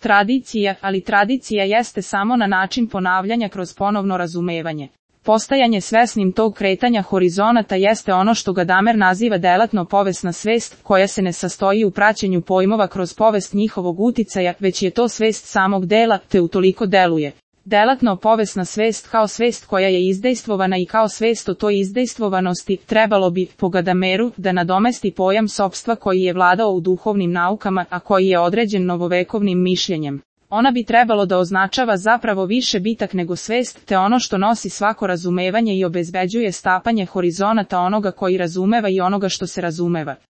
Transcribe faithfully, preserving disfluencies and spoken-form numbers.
Tradicija, ali tradicija jeste samo na način ponavljanja kroz ponovno razumevanje. Postajanje svesnim tog kretanja horizonata jeste ono što Gadamer naziva delatno povesna svest, koja se ne sastoji u praćenju pojmova kroz povest njihovog uticaja, već je to svest samog dela, te utoliko deluje. Delatno povesna svest kao svest koja je izdejstvovana i kao svest o toj izdejstvovanosti, trebalo bi, po Gadameru, da nadomesti pojam sopstva koji je vladao u duhovnim naukama, a koji je određen novovekovnim mišljenjem. Ona bi trebalo da označava zapravo više bitak nego svest, te ono što nosi svako razumevanje i obezbeđuje stapanje horizonata onoga koji razumeva i onoga što se razumeva.